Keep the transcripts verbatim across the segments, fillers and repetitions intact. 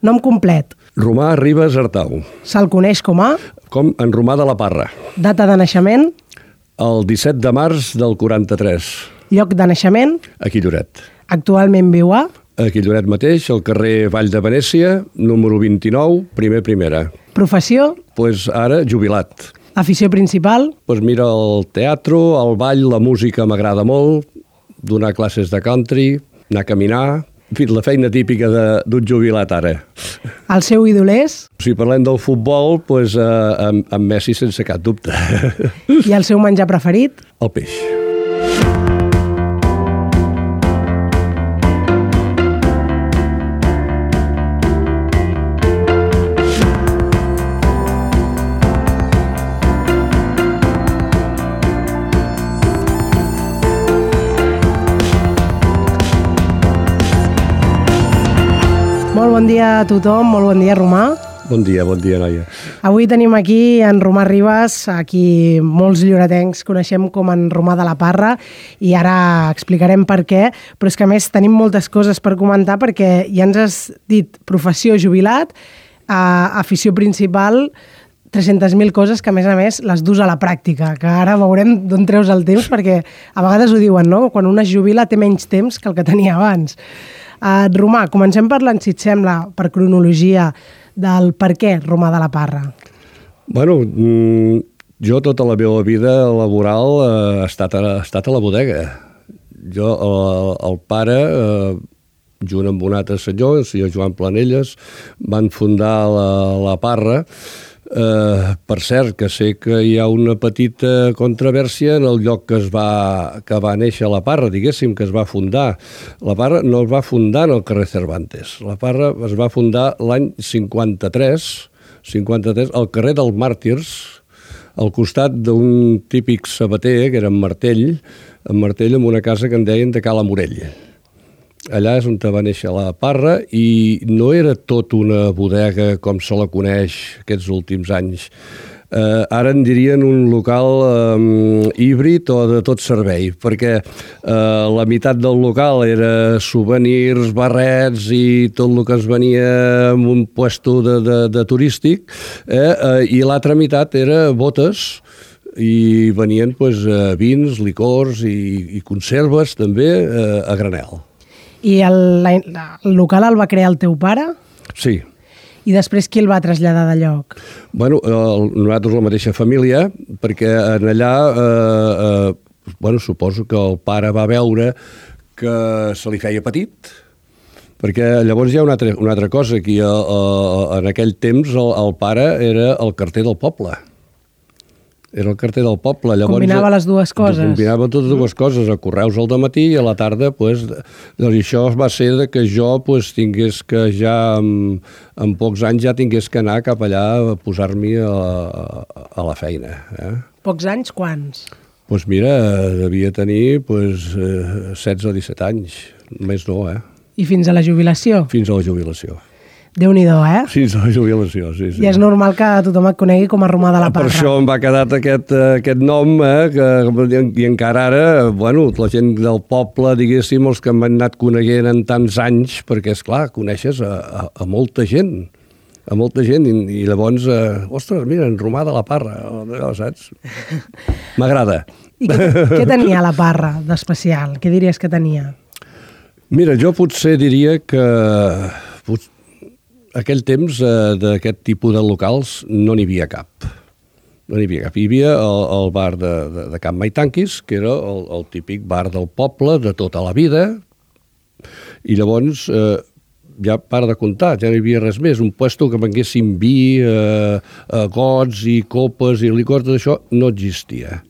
Nom complet. Romà Ribas Artau. Se'l coneix com a... Com en Romà de la Parra. Data de naixement. El disset de març del quaranta-tres. Lloc de naixement. Aquí Lloret. Actualment viu a... Aquí Lloret mateix, al carrer Vall de Venècia, número vint-i-nou, primer primera. Professió. Pues ara, jubilat. Afició principal. Pues mira, el teatre, el ball, la música m'agrada molt, donar classes de country, anar a caminar, en fi, la feina típica d'un jubilat ara. El seu ídol és? Si parlem del futbol, pues, eh, amb, amb Messi sense cap dubte. I el seu menjar preferit? El peix. Molt bon dia a tothom, molt bon dia, Romà. Bon dia, bon dia, noia. Avui tenim aquí en Romà Ribas, a qui molts lloretencs coneixem com en Romà de la Parra, i ara explicarem per què, però és que a més tenim moltes coses per comentar perquè ja ens has dit professió jubilat, eh, afició principal, tres-centes mil coses que a més a més les dus a la pràctica, que ara veurem d'on treus el temps perquè a vegades ho diuen, no? Quan un es jubila té menys temps que el que tenia abans. Uh, Romà, comencem parlant, si et sembla, per cronologia, del per què Romà de la Parra. Bueno, jo tota la meva vida laboral eh, ha, estat a, ha estat a la bodega. Jo, el, el pare, eh, junt amb un altre senyor, el senyor Joan Planelles, van fundar la, la Parra. Uh, per cert, que sé que hi ha una petita controvèrsia en el lloc que es va, que va néixer la Parra, diguéssim, que es va fundar. La Parra no es va fundar en el carrer Cervantes. La Parra es va fundar l'any cinquanta-tres, cinquanta-tres, al carrer dels Màrtirs, al costat d'un típic sabater, que era en Martell, en Martell amb una casa que en deien de Cala Morell. Allà és on va néixer la Parra i no era tot una bodega com se la coneix aquests últims anys. Eh, ara en dirien un local eh, híbrid o de tot servei, perquè eh, la meitat del local era souvenirs, barrets i tot el que es venia en un puesto de, de, de turístic, eh, eh, i l'altra meitat era botes, i venien pues, vins, licors i, i conserves també eh, a granel. I el, la, el local el va crear el teu pare? Sí. I després qui el va traslladar de lloc? Bueno, el, nosaltres la mateixa família, perquè en allà, eh, eh, bueno, suposo que el pare va veure que se li feia petit, perquè llavors hi ha una altra, una altra cosa, que a, a, en aquell temps el, el pare era el carter del poble. Era el carter del poble. Llavors, combinava les dues coses. Combinava totes dues coses, a correus al dematí i a la tarda, pues, doncs això va ser de que jo pues, tingués que ja, en, en pocs anys, ja tingués que anar cap allà a posar-m'hi a, a, a la feina. Eh? Pocs anys, quants? Doncs pues mira, devia tenir pues, setze o disset anys, més no, eh? I fins a la jubilació? Fins a la jubilació. Déu-n'hi-do, eh? Fins a la jubilació, sí, sí. I és normal que tothom et conegui com a Romà de la Parra. Per això em va quedar aquest, aquest nom, eh, que, i encara ara, bueno, la gent del poble, diguéssim, els que m'han anat coneguent en tants anys, perquè, és clar, coneixes a, a, a molta gent, a molta gent, i, i llavors, eh, ostres, mira, en Romà de la Parra, saps? M'agrada. I què, què tenia la Parra d'especial? Què diries que tenia? Mira, jo potser diria que... Pot, aquell temps eh, d'aquest tipus de locals no n'hi havia cap. No n'hi havia cap. Hi havia el, el bar de, de, de Can Maitanquis, que era el, el típic bar del poble de tota la vida, i llavors eh, ja para de comptar, ja no hi havia res més. Un puesto que venguessin vi, eh, eh, gots i copes i licors, tot això no existia.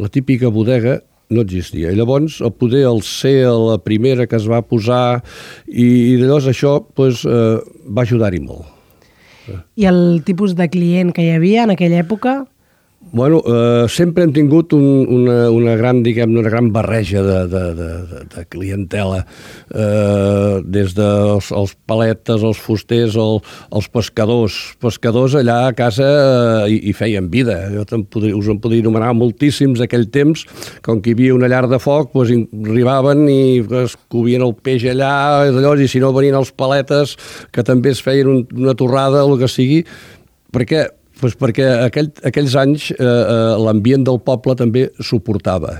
La típica bodega no existia. I llavors, el poder el ser la primera que es va posar i, i llavors això pues, eh, va ajudar-hi molt. I el tipus de client que hi havia en aquella època? Bueno, eh, sempre hem tingut un, una, una, gran, diguem, una gran barreja de, de, de, de clientela, eh, des dels els paletes, els fusters, el, els pescadors. Pescadors allà a casa eh, hi, hi feien vida. Jo podria, us en podria enumerar moltíssims aquell temps, com que hi havia una llar de foc, doncs arribaven i es covien el peix allà, i si no venien els paletes, que també es feien un, una torrada o el que sigui, perquè Pues perquè aquell, aquells anys eh, eh, l'ambient del poble també suportava,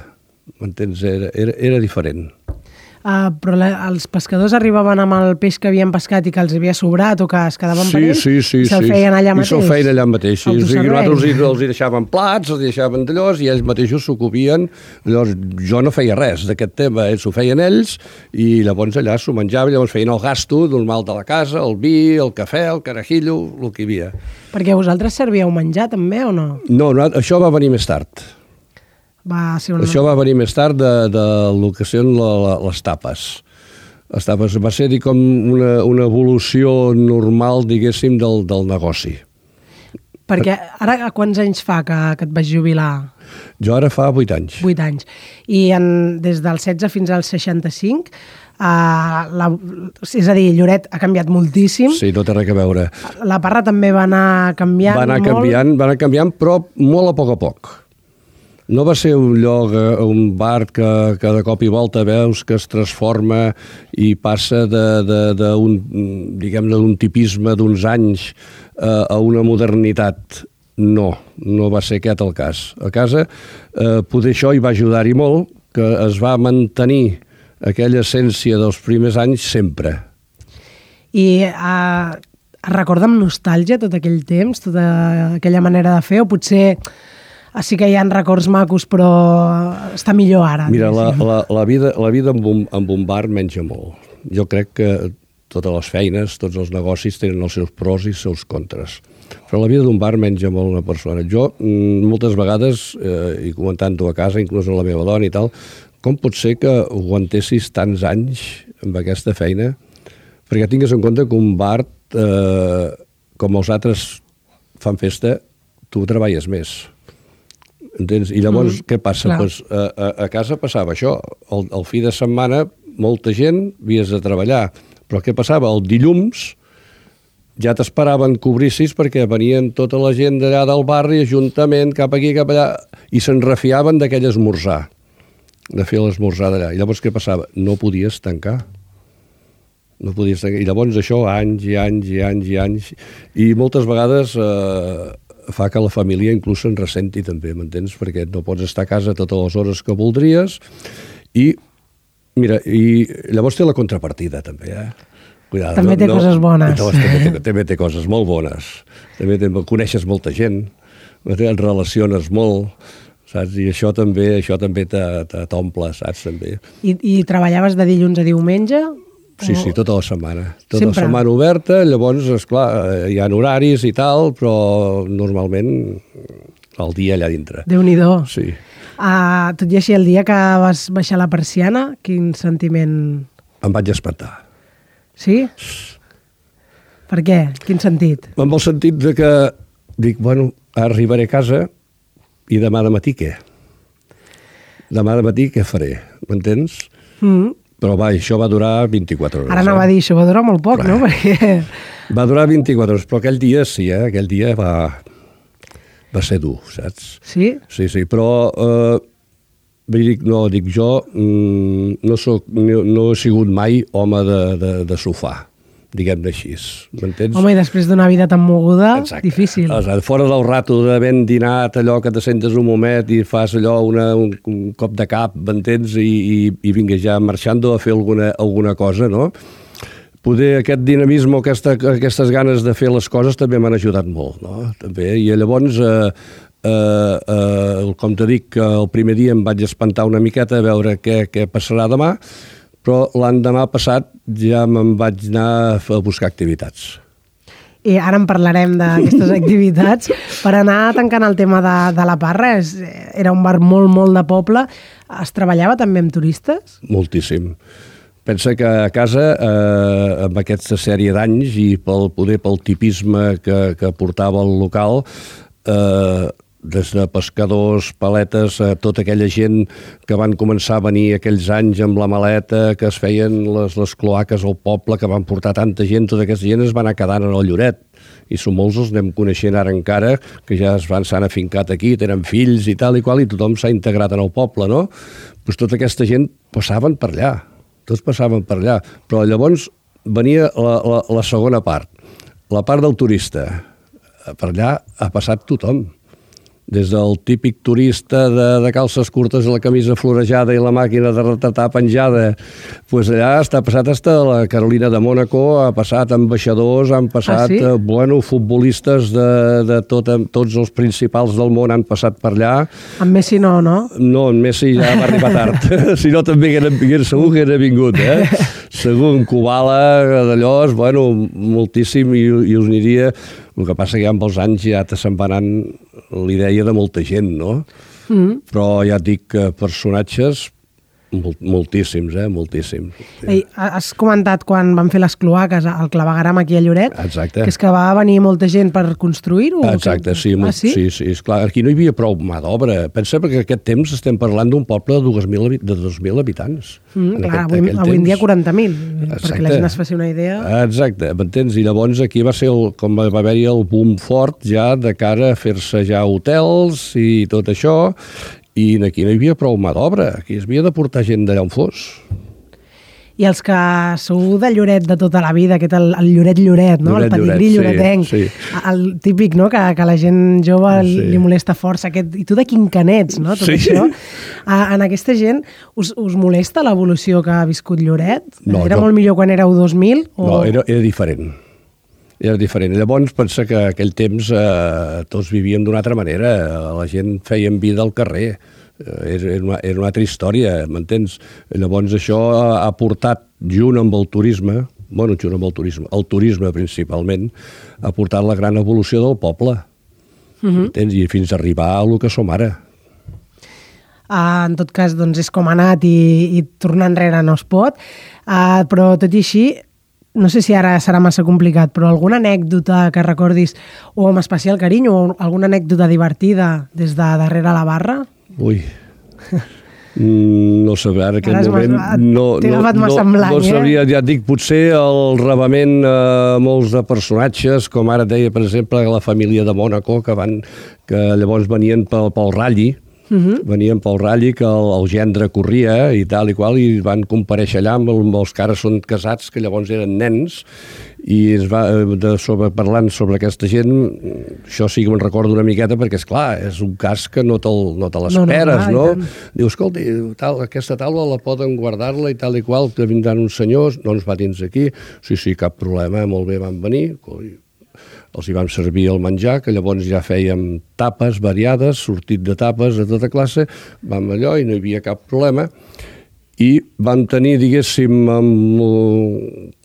m'entens? Era, era, era diferent. Uh, però la, els pescadors arribaven amb el peix que havien pescat i que els havia sobrat o que es quedaven sí, per ells sí, sí, i se'l sí. feien allà mateix? I se'l feien allà mateix. Sí. Autoservei. Nosaltres els, els hi deixaven plats, els hi deixaven d'allòs i ells mateixos s'ho covien. Llavors, jo no feia res d'aquest tema, ells ho feien ells i llavors allà s'ho menjaven, llavors feien el gasto normal de la casa, el vi, el cafè, el carajillo, el que hi havia. Perquè vosaltres servíeu menjar també o no? No, no, això va venir més tard. Va ser una... Això va venir més tard de, de lo que són les tapes. Les tapes va ser com una, una evolució normal, diguéssim, del, del negoci. Perquè ara quants anys fa que, que et vas jubilar? Jo ara fa vuit anys. Vuit anys. I en, des del setze fins al seixanta-cinc, uh, la, és a dir, Lloret ha canviat moltíssim. Sí, no té res a veure. La Parra també va anar canviant va anar molt. Canviant, va anar canviant, però molt a poc a poc. No va ser un lloc, un bar que, que de cop i volta veus que es transforma i passa d'un, diguem-ne, d'un tipisme d'uns anys eh, a una modernitat. No, no va ser aquest el cas. A casa, eh, poder això hi va ajudar-hi molt, que es va mantenir aquella essència dels primers anys sempre. I eh, es recorda amb nostàlgia tot aquell temps, tota aquella manera de fer, o potser... Sí que hi ha records macos, però està millor ara. Mira, la, la, la vida, la vida amb, un, amb un bar menja molt. Jo crec que totes les feines, tots els negocis tenen els seus pros i els seus contres. Però la vida d'un bar menja molt una persona. Jo, moltes vegades, eh, i comentant-ho a casa, inclús amb la meva dona i tal, com pot ser que aguantessis tants anys amb aquesta feina? Perquè tingues en compte que un bar, eh, com els altres fan festa, tu treballes més. Entens? I llavors, mm, què passa? Pues, a, a, a casa passava això. El, el fi de setmana, molta gent, havies de treballar. Però què passava? El dilluns ja t'esperaven que obrissis perquè venien tota la gent d'allà del barri, ajuntament, cap aquí, cap allà, i se'n refiaven d'aquell esmorzar, de fer l'esmorzar d'allà. I llavors què passava? No podies tancar. No podies tancar. I llavors això, anys i anys i anys i anys. I moltes vegades... Eh, fa que la família inclús se'n ressenti també, m'entens? Perquè no pots estar a casa totes les hores que voldries i, mira, i llavors té la contrapartida també, eh? Cuidado, també té no, coses bones. No, també, té, també té coses molt bones. També té, coneixes molta gent, et relaciones molt, saps? I això també això també t'omple, saps? També. I, I treballaves de dilluns a diumenge? Sí, sí, tota la setmana. Tota Sempre. la setmana oberta, llavors, esclar, hi ha horaris i tal, però normalment el dia allà dintre. Déu-n'hi-do. Sí. Uh, tot i així, el dia que vas baixar la persiana, quin sentiment... Em vaig espantar. Sí? Per què? Quin sentit? En el sentit de que dic, bueno, arribaré a casa i demà de matí què? Demà de matí què faré? M'entens? Mm. Però va, això va durar vint-i-quatre hores. Ara anava eh? a dir, això va durar molt poc, Clar. no? Perquè... Va durar vint-i-quatre hores, però aquell dia sí, eh? Aquell dia va, va ser dur, saps? Sí? Sí, sí, però eh, dic, no, dic jo, mm, no, soc, no, no he sigut mai home de, de, de sofà, diguem-ne així, m'entens? Home, i després d'una vida tan moguda, Exacte. difícil. O sigui, fora del rato d'haver dinat, allò que te sentes un moment i fas allò, una, un, un cop de cap, m'entens? I, i, i vinga ja marxant a fer alguna, alguna cosa, no? Poder aquest dinamisme, aquesta, aquestes ganes de fer les coses també m'han ajudat molt, no? També, i llavors... Eh, Uh, uh, com te dic, el primer dia em vaig espantar una miqueta a veure què, què passarà demà, però l'endemà passat ja me'n vaig anar a buscar activitats. I ara en parlarem d'aquestes activitats. Per anar tancant el tema de, de la Parra, és, era un bar molt, molt de poble. Es treballava també amb turistes? Moltíssim. Pensa que a casa, eh, amb aquesta sèrie d'anys i pel poder pel tipisme que, que portava el local, eh, des de pescadors, paletes, eh, tota aquella gent que van començar a venir aquells anys amb la maleta, que es feien les, les cloaques al poble, que van portar tanta gent, tota aquesta gent es va anar quedant en el Lloret. I som molts els anem coneixent ara encara, que ja es van, s'han afincat aquí, tenen fills i tal i qual, i tothom s'ha integrat en el poble, no? Doncs tota aquesta gent passaven per allà, tots passaven per allà. Però llavors venia la, la, la segona part, la part del turista. Per allà ha passat tothom. Des del típic turista de, de calces curtes i la camisa florejada i la màquina de retratar penjada, pues allà està passat hasta la Carolina de Mònaco, ha passat ambaixadors, han passat, ah, sí? eh, bueno, futbolistes de, de tot, tots els principals del món han passat per allà. En Messi no, no? No, en Messi ja va arribar tard. Si no, també haguera, segur que era vingut, eh? Segur, en Kubala, d'allò, bueno, moltíssim, i, i us aniria... El que passa que ja amb els anys ja te se'n va anant l'idea de molta gent, no? Mm. Però ja et dic que personatges, molt, moltíssims, eh? Moltíssims. Ei, has comentat quan van fer les cloaques al clavegueram aquí a Lloret. Exacte. Que és que va venir molta gent per construir-ho? Exacte, que... sí, molt, ah, sí? sí, sí, esclar. Aquí no hi havia prou mà d'obra. Pensa que aquest temps estem parlant d'un poble de dos mil, de dos mil habitants. Mm, clar, aquest, avui, avui en dia quaranta mil, perquè la gent es faci una idea. Exacte, m'entens? I llavors aquí va ser, el, com va haver-hi el boom fort ja de cara a fer-se ja hotels i tot això, i aquí no hi havia prou mà d'obra, aquí es havia de portar gent d'allà on fos. I els que sou de Lloret de tota la vida, aquest el, el Lloret-Lloret, no? Lloret, el pedigrí sí, lloretenc, sí. El típic, no? que, que la gent jove sí. li molesta força. Aquest, I tu de quincanets, no? Tot sí. això. A, en aquesta gent, us, us molesta l'evolució que ha viscut Lloret? No, era no. molt millor quan éreu dos mil? O... No, era, era diferent. Era diferent. Llavors, pensa que aquell temps eh, tots vivíem d'una altra manera. La gent feien vida al carrer. Era una, era una altra història, m'entens? Llavors això ha portat, junt amb el turisme, bueno, junt amb el turisme, el turisme principalment, ha portat la gran evolució del poble. Uh-huh. Entens? I fins a arribar a el que som ara. Uh, en tot cas, doncs, és com ha anat i, i tornar enrere no es pot, uh, però tot i així, no sé si ara serà massa complicat, però alguna anècdota que recordis o amb especial carinyo o alguna anècdota divertida des de darrere la barra? Ui, no sé, ara en aquell ara moment no, no, no, blanc, no sabria, eh? Ja et dic, potser el rebament a eh, molts de personatges, com ara deia, per exemple, la família de Mònaco, que, van, que llavors venien pel, pel Ralli, Uh-huh. venien pel Ralli, que el, el gendre corria i tal i qual, i van comparèixer allà amb, el, amb els que ara són casats, que llavors eren nens, i es va, de, sobre, parlant sobre aquesta gent, això sí que me'n recordo una miqueta, perquè, és clar, és un cas que no te, no te l'esperes, no? no, no? Diu, escolta, tal, aquesta taula la poden guardar-la i tal i qual, que vindran uns senyors, no ens va dins aquí, sí, sí, cap problema, molt bé, van venir, els hi vam servir el menjar, que llavors ja fèiem tapes variades, sortit de tapes de tota classe, vam allò i no hi havia cap problema, i vam tenir, diguéssim,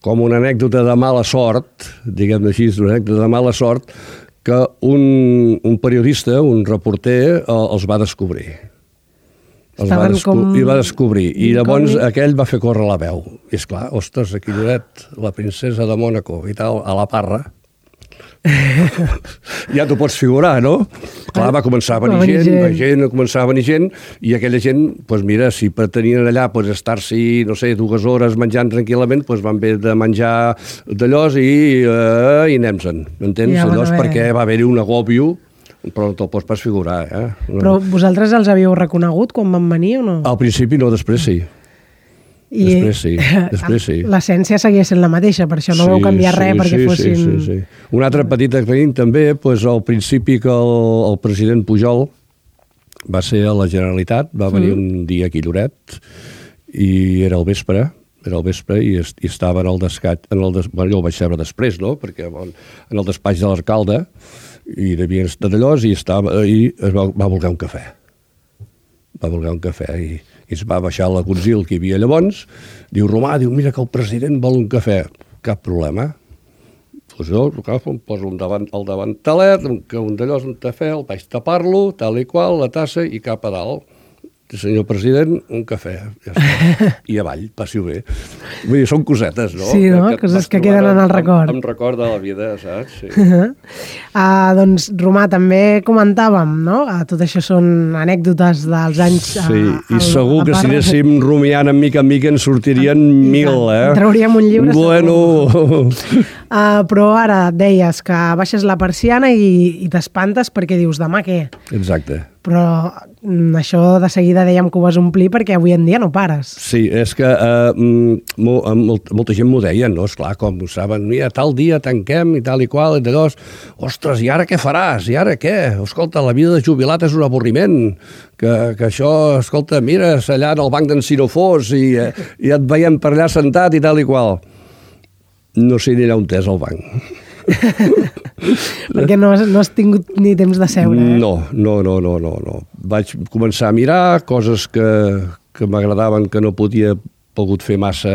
com una anècdota de mala sort, diguem-ne així, una anècdota de mala sort, que un, un periodista, un reporter, els va descobrir. Els va, desco com... I va descobrir. I llavors com... aquell va fer córrer la veu. I esclar, ostres, aquí Lloret, la princesa de Mònaco i tal, a la Parra, ja t'ho pots figurar, no? Clar, va començar a venir, va venir gent, gent. Va gent, va començar a venir gent, i aquella gent, doncs mira, si pretenien allà pues, estar-s'hi, no sé, dues hores menjant tranquil·lament, doncs van haver de menjar d'allòs i, uh, i anem-se'n, m'entens? Ja, allòs perquè va haver-hi un agòbio, però no te'l pots pas figurar, eh? No. Però vosaltres els havíeu reconegut quan van venir o no? Al principi no, després sí. I després sí, després sí. L'essència seguia sent la mateixa, per això no sí, vau canviar res sí, perquè sí, fossin... Sí, sí, sí. Un altre petit aclariment també, doncs, al principi que el, el president Pujol va ser a la Generalitat, va venir mm. un dia aquí a Lloret, i era al vespre, era al vespre i, est, i estava en el descat, en el des, bueno, jo ho vaig saber després, no?, perquè bon, en el despatx de l'alcalde, i devien estar d'allò, i, estava, i es va, va voler un cafè. Va voler un cafè, i... i es va baixar la consil que hi havia llavors, diu, Romà, diu, mira que el president vol un cafè. Cap problema. Doncs jo, em poso un davant, el davantalet, que un d'allò és un cafè, el vaig tapar-lo, tal i qual, la tassa, i cap a dalt. senyor president, un cafè, ja està. I avall, passi-ho bé. Vull dir, són cosetes, no? Sí, no? Que, coses que queden en el record. Em record de la vida, saps? Sí. uh, doncs, Romà, també comentàvem, no? Uh, tot això són anècdotes dels anys... Uh, sí, i segur que si anéssim rumiant en mica en mica en sortirien I mil, tant. eh? Trauríem un llibre. Bueno... uh, però ara deies que baixes la persiana i, i t'espantes perquè dius, demà què? Exacte. Però això de seguida dèiem que ho vas omplir perquè avui en dia no pares. Sí, és que eh, molt, molta gent m'ho deia, no? Esclar, com ho saben, mira, tal dia tanquem i tal i qual, i de dos, ostres, i ara què faràs? I ara què? Escolta, la vida de jubilat és un avorriment, que, que això, escolta, mires allà en el banc d'en Sinofós i, i et veiem per allà sentat i tal i qual. No sé ni allà on és el banc. Perquè no has, no has tingut ni temps de seure, eh? No, no, no, no, no, no. Vaig començar a mirar coses que, que m'agradaven, que no podia pogut fer massa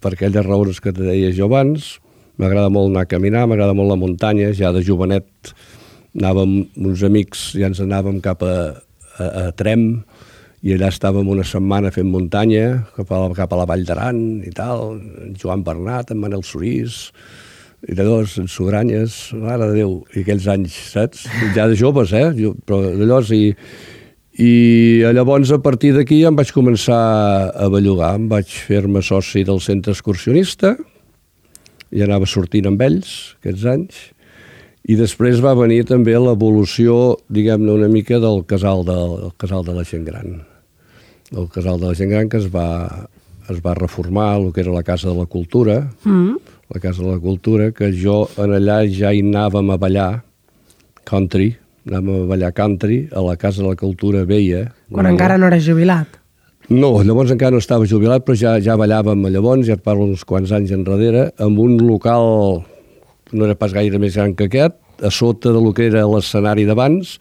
per aquelles raons que te deia jo abans. M'agrada molt anar a caminar, m'agrada molt la muntanya. Ja de jovenet anàvem uns amics, ja ens anàvem cap a, a, a Trem, i allà estàvem una setmana fent muntanya, cap a, cap a la Vall d'Aran i tal, en Joan Bernat, en Manel Sorís, i de dos, en Sugranyes, mare de Déu, i aquells anys, saps? Ja de joves, eh? Jo, però llavors, i, i llavors a partir d'aquí em vaig començar a bellugar, em vaig fer-me soci del centre excursionista, i anava sortint amb ells, aquests anys, i després va venir també l'evolució, diguem-ne, una mica del casal de, del casal de la gent gran. El casal de la gent gran que es va, es va reformar, el que era la Casa de la Cultura, mm. la Casa de la Cultura, que jo en allà ja hi anàvem a ballar country, anàvem a ballar country, a la Casa de la Cultura veia. Quan encara no eres jubilat? No, llavors encara no estava jubilat, però ja, ja ballàvem llavors, ja et parlo uns quants anys enrere, amb un local, no era pas gaire més gran que aquest, a sota del que era l'escenari d'abans,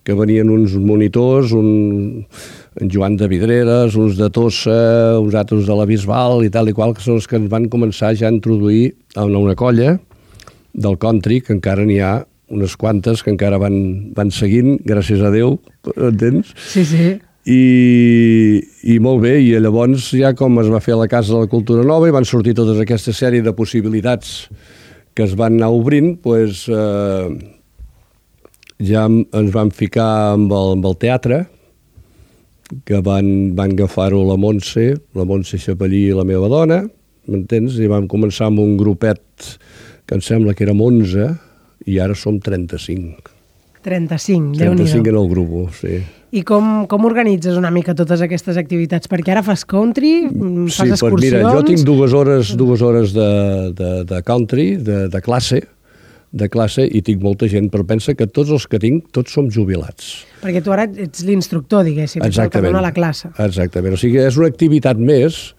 que venien uns monitors, un, en Joan de Vidreres, uns de Tossa, uns altres de la Bisbal i tal i qual, que són els que ens van començar ja a introduir en una colla del country, que encara n'hi ha unes quantes que encara van, van seguint, gràcies a Déu, entens? Sí, sí. I, i molt bé, i llavors ja com es va fer a la Casa de la Cultura Nova i van sortir totes aquesta sèrie de possibilitats que es van anar obrint, doncs eh, ja ens vam ficar amb el, amb el teatre, que van, van agafar-ho la Montse, la Montse Xapellí i la meva dona, m'entens? I vam començar amb un grupet que em sembla que érem onze, i ara som trenta-cinc. trenta-cinc, Déu-n'hi-do. trenta-cinc en el grup, sí. I com, com organitzes una mica totes aquestes activitats? Perquè ara fas country, fas sí, excursions... Sí, mira, jo tinc dues hores, dues hores de, de, de country, de, de classe, de classe, i tinc molta gent, però pensa que tots els que tinc, tots som jubilats. Perquè tu ara ets l'instructor, diguéssim, exactament, el que dona la classe. Exactament, o sigui, és una activitat més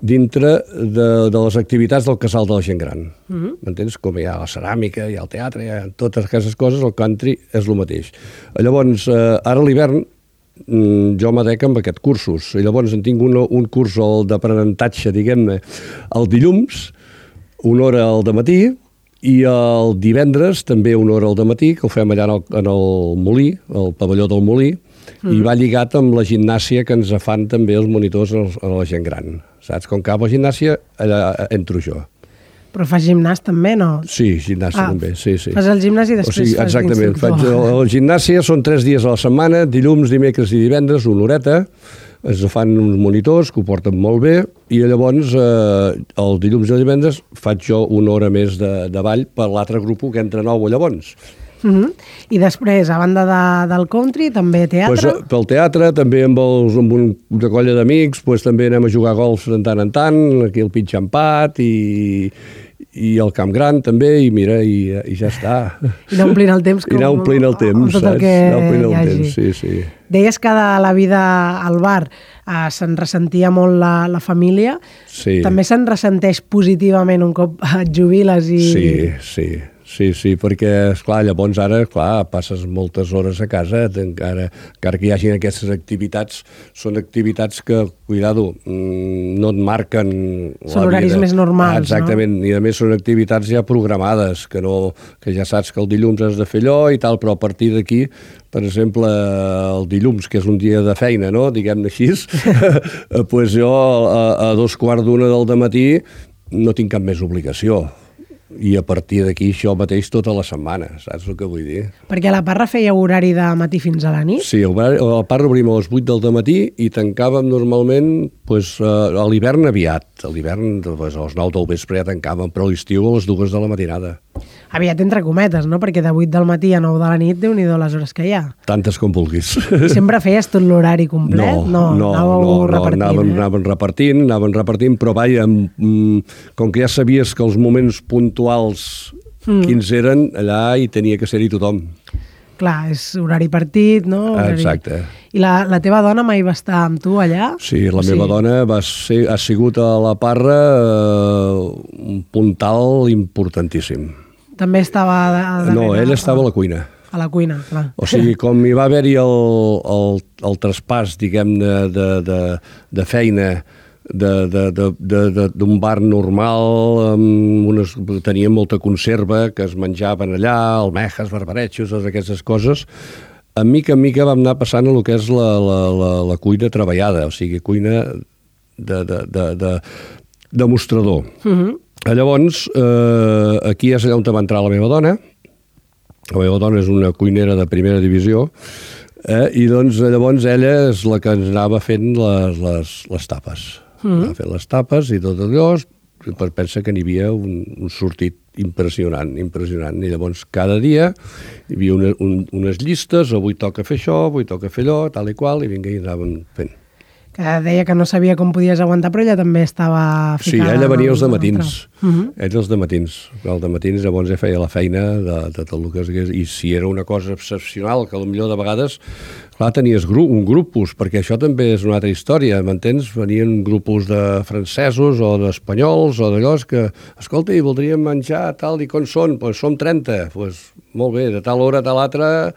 dintre de, de les activitats del casal de la gent gran. Uh-huh. M'entens? Com hi ha la ceràmica, hi ha el teatre, hi ha totes aquestes coses, el country és el mateix. Llavors, eh, ara a l'hivern, jo m'adec amb aquests cursos, i llavors en tinc un, un curs d'aprenentatge, diguem-ne, el dilluns, una hora al dematí, i el divendres també una hora al dematí, que ho fem allà en el, en el Molí, el pavelló del Molí, mm. i va lligat amb la gimnàsia que ens fan també els monitors a la gent gran. Saps? Com que a la gimnàsia, allà entro jo. Però fas gimnàs també, no? Sí, gimnàsia ah, també, sí, sí. Fas el gimnàs i després o sigui, fas exactament, faig el, el gimnàsia són tres dies a la setmana, dilluns, dimecres i divendres, una horeta, es fan uns monitors que ho porten molt bé, i llavors eh, el dilluns i el divendres faig jo una hora més de, de ball per l'altre grup que entra nou llavors. Uh-huh. I després, a banda de, del country, també teatre? Pues, pel teatre, també amb, els, amb una colla d'amics, pues, també anem a jugar a golf de tant en tant, aquí el Pitxampat i, i el Camp Gran també, i mira, i, i ja està. I anar omplint el temps. Com, I anar omplint el temps, tot el que anar omplint el hi hagi. Temps, sí, sí. Deies que de la vida al bar eh, se'n ressentia molt la, la família. Sí. També se'n ressenteix positivament un cop et jubiles i... Sí, sí. sí, sí, perquè, esclar, llavors ara, clar, passes moltes hores a casa, encara, encara que hi hagin aquestes activitats, són activitats que, cuidado, no et marquen la són horaris vida. més normals, Exactament, no? I a més són activitats ja programades, que, no, que ja saps que el dilluns has de fer allò i tal, però a partir d'aquí, per exemple, el dilluns, que és un dia de feina, no?, diguem-ne així, pues jo a, a dos quarts d'una del dematí no tinc cap més obligació. I a partir d'aquí això mateix tota la setmana, saps el que vull dir? Perquè a la Parra feia horari de matí fins a la nit? Sí, a la Parra obrim a les vuit del matí i tancàvem normalment pues, a l'hivern aviat. A l'hivern pues, a les nou del vespre ja tancàvem, però a l'estiu a les dues de la matinada. Aviat entre cometes, no? Perquè de vuit del matí a nou de la nit, Déu-n'hi-do les hores que hi ha. Tantes com vulguis. Sempre feies tot l'horari complet? No, no, anàveu no, no repartint, anàvem, eh? anàvem repartint, anàvem repartint, però vaja, com que ja sabies que els moments puntuals mm. quins eren, allà hi tenia que ser-hi tothom. Clar, és horari partit, no? Horari... Exacte. I la, la teva dona mai va estar amb tu allà? Sí, la o meva sí? dona va ser, ha sigut a la Parra eh, un puntal importantíssim. També estava... A, a no, ell estava a la cuina. A la cuina, clar. O sigui, com hi va haver-hi el, el, el traspàs, diguem-ne, de, de, de feina d'un bar normal, amb unes, tenia molta conserva que es menjaven allà, almejas, barbaretxos, totes aquestes coses, a mica en mica vam anar passant a el que és la, la, la, la cuina treballada, o sigui, cuina de, de, de, de, de mostrador. Uh-huh. Llavors, eh, aquí és allà on va entrar la meva dona. La meva dona és una cuinera de primera divisió, eh, i doncs llavors ella és la que ens anava fent les, les, les tapes. Mm. Anava fent les tapes i tot allò, per pensa que n'hi havia un, un sortit impressionant, impressionant. I llavors cada dia hi havia una, un, unes llistes, avui toca fer això, avui toca fer allò, tal i qual, i vinga, i anàvem fent. Que deia que no sabia com podies aguantar, però ella també estava ficada... Sí, ella venia els dematins. Uh -huh. Ella els dematins. Els dematins llavors ja feia la feina de, de tot el que és... I si era una cosa excepcional, que potser de vegades, clar, tenies gru, un grupus, perquè això també és una altra història, m'entens? Venien grupus de francesos o d'espanyols o d'allò que, escolta, i voldríem menjar tal i com són, doncs som trenta, doncs molt bé, de tal hora a tal altra...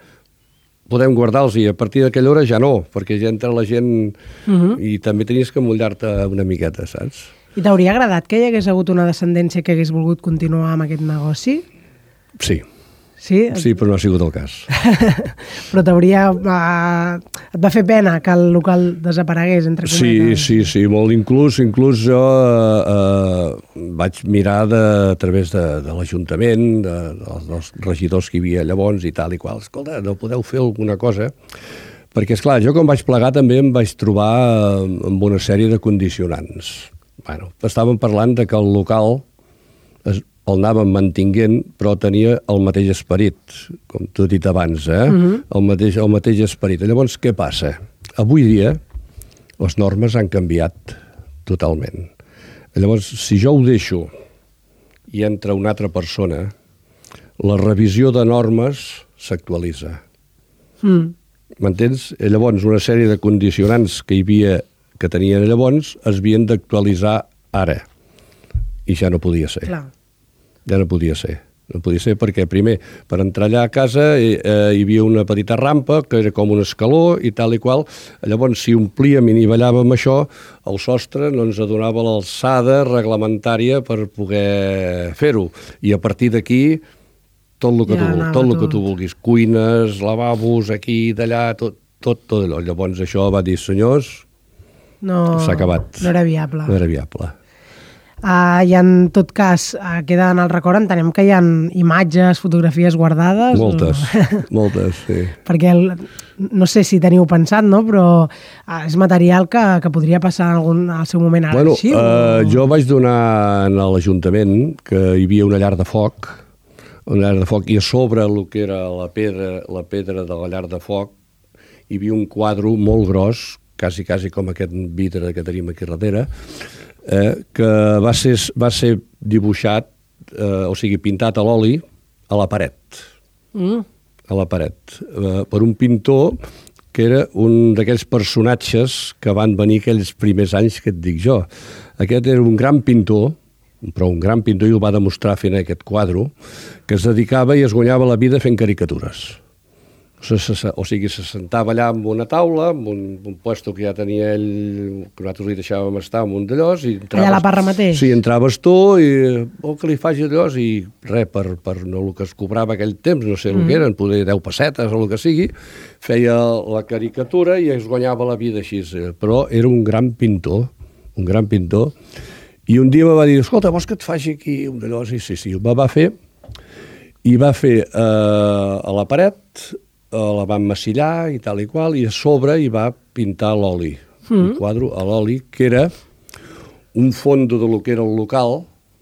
podem guardar-los i a partir d'aquella hora ja no, perquè ja entra la gent uh-huh. i també tenies que mullar-te una miqueta, saps? I t'hauria agradat que hi hagués hagut una descendència que hagués volgut continuar amb aquest negoci? Sí. Sí? Sí, però no ha sigut el cas. Però t'hauria... Uh, et va fer pena que el local desaparegués, entre cometes? Sí, sí, sí, molt. Inclús, inclús jo uh, vaig mirar de, a través de, de l'Ajuntament, de, dels, dels regidors que hi havia llavors i tal i qual. Escolta, no podeu fer alguna cosa? Perquè, esclar, jo quan vaig plegar també em vaig trobar amb una sèrie de condicionants. Bueno, estàvem parlant de que el local... Es, el anàvem mantinguent, però tenia el mateix esperit, com t'he dit abans, eh? Uh-huh. el, mateix, el mateix esperit. Llavors, què passa? Avui dia, les normes han canviat totalment. Llavors, si jo ho deixo i entra una altra persona, la revisió de normes s'actualitza. Mm. M'entens? Llavors, una sèrie de condicionants que hi havia, que tenien llavors, es havien d'actualitzar ara. I ja no podia ser. Clar. Ja no podia ser. No podia ser perquè, primer, per entrar allà a casa eh, hi havia una petita rampa que era com un escaló i tal i qual. Llavors, si omplíem i nivellàvem això, el sostre no ens donava l'alçada reglamentària per poder fer-ho. I a partir d'aquí, tot el que, ja, tu, tot el que tu vulguis. Cuines, lavabos, aquí, d'allà, tot, tot, tot allò. Llavors això va dir, senyors, no, s'ha acabat. No era viable. No era viable. Uh, I en tot cas, uh, queda en el record, entenem que hi ha imatges, fotografies guardades? Moltes, o... moltes, sí. Perquè el, no sé si teniu pensat, no? Però uh, és material que, que podria passar en algun, al seu moment a bueno, l'arxiu? Uh, o... jo vaig donar a l'Ajuntament que hi havia una llar de foc, una llar de foc, i a sobre el que era la pedra, la pedra de la llar de foc, hi havia un quadre molt gros, quasi, quasi com aquest vidre que tenim aquí darrere, Eh, que va ser, va ser dibuixat, eh, o sigui, pintat a l'oli a la paret. Mm. A la paret. Eh, per un pintor que era un d'aquells personatges que van venir aquells primers anys que et dic jo. Aquest era un gran pintor, però un gran pintor, i ho va demostrar fent aquest quadre, que es dedicava i es guanyava la vida fent caricatures. O sigui, se sentava allà amb una taula, amb un, un puesto que ja tenia ell, que nosaltres li deixàvem estar amb un d'allòs. Allà a la Parra mateix? Sí, entraves tu i vol que li faci allòs i res, per, per no, el que es cobrava aquell temps, no sé el mm. que eren, poder deu pessetes o el que sigui, feia la caricatura i es guanyava la vida així. Però era un gran pintor, un gran pintor, i un dia me va dir, escolta, vols que et faci aquí un d'allòs? I sí, sí, ho va fer, i va fer eh, a la paret, la va emmassillar i tal i qual, i a sobre hi va pintar l'oli, mm. un quadre a l'oli, que era un fondo de lo que era el local,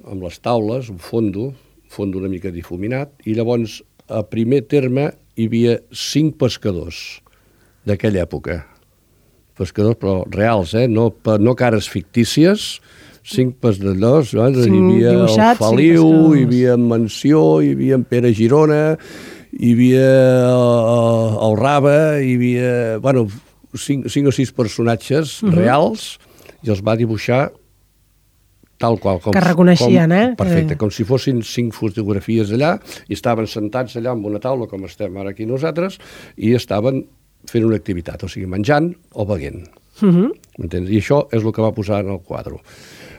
amb les taules, un fondo, un fondo una mica difuminat, i llavors, a primer terme, hi havia cinc pescadors d'aquella època. Pescadors, però reals, eh? No, no cares fictícies, cinc pescadors, no? Hi havia el Feliu, hi havia en Mansió, hi havia en Pere Girona, hi havia el, el Raba, hi havia, bueno, cinc, cinc o sis personatges uh -huh. reals, i els va dibuixar tal qual. Com, que reconeixien, com, eh? Perfecte, com si fossin cinc fotografies allà, i estaven sentats allà amb una taula, com estem ara aquí nosaltres, i estaven fent una activitat, o sigui, menjant o beguent. Uh -huh. M'entens? I això és el que va posar en el quadre.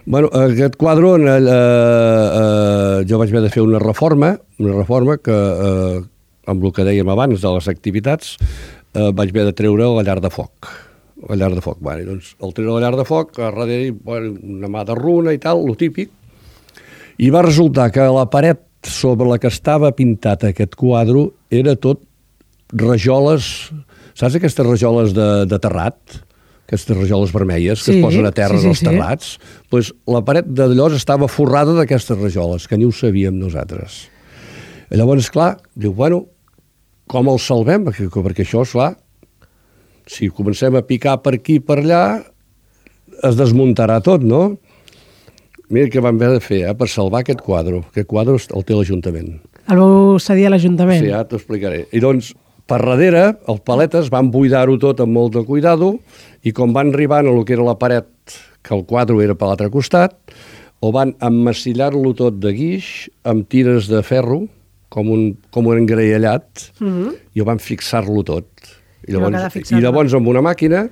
Bueno, aquest quadre, eh, eh, jo vaig haver de fer una reforma, una reforma que... Eh, amb el que dèiem abans de les activitats, eh, vaig haver de treure la llar de foc. La llar de foc. Bueno, doncs, al treure la llar de foc, a darrere bueno, una mà de runa i tal, lo típic, i va resultar que la paret sobre la que estava pintat aquest quadre era tot rajoles, saps aquestes rajoles de, de terrat? Aquestes rajoles vermelles que sí, es posen a terra sí, sí, dels sí. terrats? Pues la paret d'allò estava forrada d'aquestes rajoles, que ni ho sabíem nosaltres. I llavors, clar, diu, bueno, com el salvem? Perquè, perquè això, esclar, si comencem a picar per aquí i per allà, es desmuntarà tot, no? Mira què vam haver de fer, eh, per salvar aquest quadre. Aquest quadre el té l'Ajuntament. El vau cedir a l'Ajuntament? Sí, ja t'ho explicaré. I doncs, per darrere, els paletes van buidar-ho tot amb molt de cuidado, i com van arribant a lo que era la paret, que el quadre era per l'altre costat, o van emmassillar-lo tot de guix, amb tires de ferro, com un, com un engraellat, mm-hmm. i ho van fixar-lo tot. I llavors, I llavors amb una màquina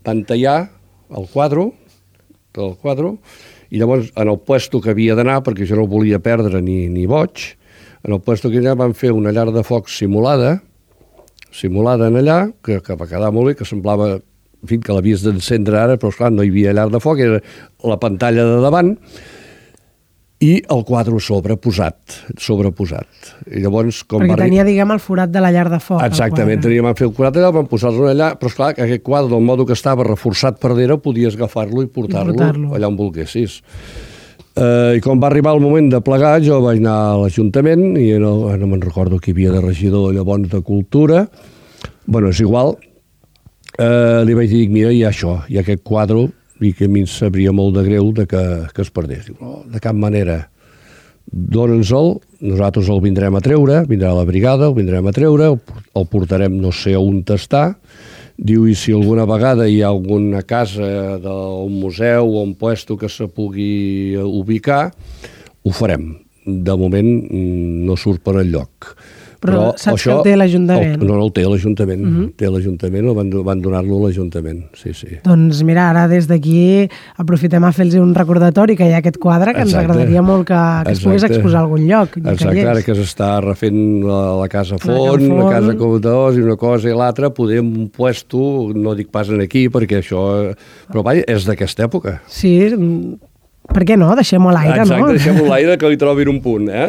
van tallar el quadre, tot el quadre, i llavors en el puesto que havia d'anar, perquè jo no volia perdre ni, ni boig, en el puesto que allà van fer una llar de foc simulada, simulada en allà, que, que va quedar molt bé, que semblava, en fi, que l'havies d'encendre ara, però esclar, no hi havia llar de foc, era la pantalla de davant, i el quadre sobreposat, sobreposat. I llavors, com Perquè va tenia, diguem, el forat de la llar de foc. Exactament, teníem a fer el forat allà, vam posar-lo allà, però esclar, que aquest quadre, del modo que estava reforçat per darrere, podies agafar-lo i portar-lo portar allà on volguessis. Uh, I com va arribar el moment de plegar, jo vaig anar a l'Ajuntament, i no, no me'n recordo qui havia de regidor llavors de Cultura, bueno, és igual, uh, li vaig dir, mira, hi ha això, hi ha aquest quadre, i que a mi em sabria molt de greu de que, que es perdés. Diu, no, de cap manera. Dóna'ns-el, nosaltres el vindrem a treure, vindrà la brigada, el vindrem a treure, el, el portarem no sé on està. Diu, i si alguna vegada hi ha alguna casa d'un museu o un puesto que se pugui ubicar, ho farem. De moment no surt per enlloc. Però, Però saps això, que el té l'Ajuntament? No, no el té l'Ajuntament. Uh-huh. Té l'Ajuntament, el van, van donar-lo a l'Ajuntament. Sí, sí. Doncs mira, ara des d'aquí aprofitem a fer-los un recordatori que hi ha aquest quadre que Exacte. Ens agradaria molt que, que es pogués exposar a algun lloc. Exacte, ara que s'està refent la, la Casa Font, la, la Casa Comptadors i una cosa i l'altra, podem un puesto, no dic pas en aquí, perquè això... Però vaja, és d'aquesta època. Sí, per què no? Deixem-ho a l'aire, Exacte, no? Exacte, deixem-ho a l'aire, que li trobin un punt, eh?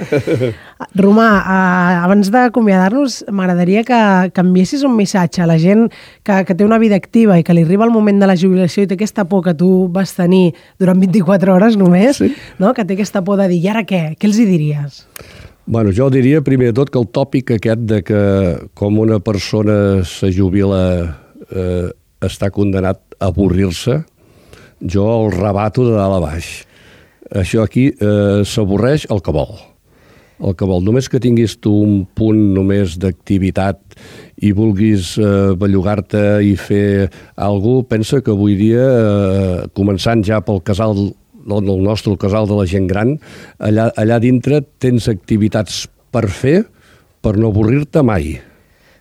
Romà, eh, abans d'acomiadar-nos, m'agradaria que canviessis un missatge a la gent que, que té una vida activa i que li arriba el moment de la jubilació i té aquesta por que tu vas tenir durant vint-i-quatre hores només, sí. No? Que té aquesta por de dir, i ara què? Què els hi diries? Bueno, jo diria primer de tot que el tòpic aquest de que com una persona se jubila eh, està condenat a avorrir-se, jo el rebato de dalt a baix. Això aquí eh, s'avorreix el que vol. El que vol. Només que tinguis tu un punt només d'activitat i vulguis eh, bellugar-te i fer alguna cosa, pensa que avui dia, eh, començant ja pel casal el nostre casal de la gent gran, allà, allà dintre tens activitats per fer per no avorrir-te mai.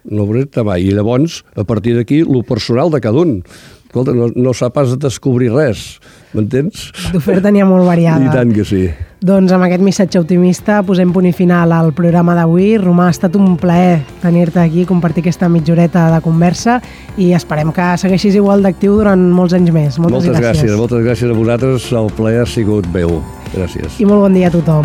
No avorrir-te mai. I llavors, a partir d'aquí, lo personal de cada un. Escolta, no, no s'ha pas de descobrir res, m'entens? D'oferta n'hi ha molt variada. I tant que sí. Doncs amb aquest missatge optimista posem punt i final al programa d'avui. Romà, ha estat un plaer tenir-te aquí, compartir aquesta mitjoreta de conversa i esperem que segueixis igual d'actiu durant molts anys més. Moltes, moltes gràcies. gràcies. Moltes gràcies a vosaltres. El plaer ha sigut meu. Gràcies. I molt bon dia a tothom.